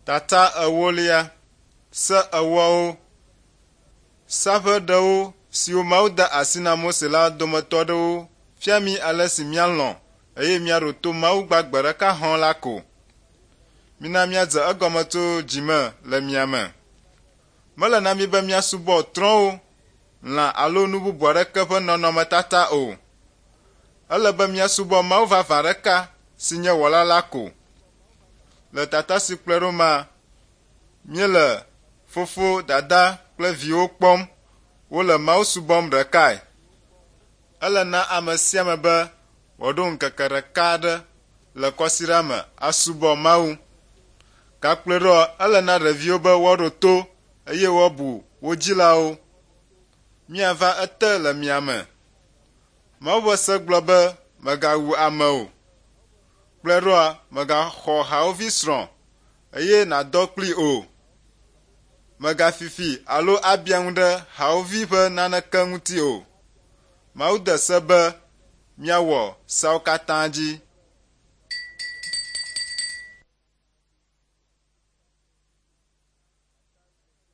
Tata ewolia se ewoawo saƒe ɖewo siwo Mawu de asi na Mose la dometɔ ɖewo fia mi ale si míalɔ̃ eye míaɖo to Mawu gbagbe ɖeka hɔ̃ la ko. Mina míadze egɔme tso dzime le mia me. Mele na mi be míasubɔ trɔ̃wo, lã alo nu bubu aɖeke ƒe nɔnɔmetata o. Ele be míasubɔ Mawu vavã ɖeka si nye wɔla la ko. Le tata si kplɔe ɖo ma, míele fofo, dada kple viwo kpɔm, wole Mawu subɔm ɖekae. Ele na ame sia ame be wòaɖo ŋkeke ɖeka aɖe le kɔsiɖa me asubɔ Mawu. Gakplɔe ɖɔ ele na ɖeviwo be woaɖo to eye woabu wo dzilawo. Míava ete le mia me. Mawu ƒe se gblɔ be mègawu ame o. Kplɔe ɖoa mègaxɔ hawòvi srɔ̃ eye nàdɔ kplii o. Mègafifi alo abia ŋu ɖe hawòvi ƒe naneke ŋuti o. Mawu de se be míawɔ seawo katã dzi.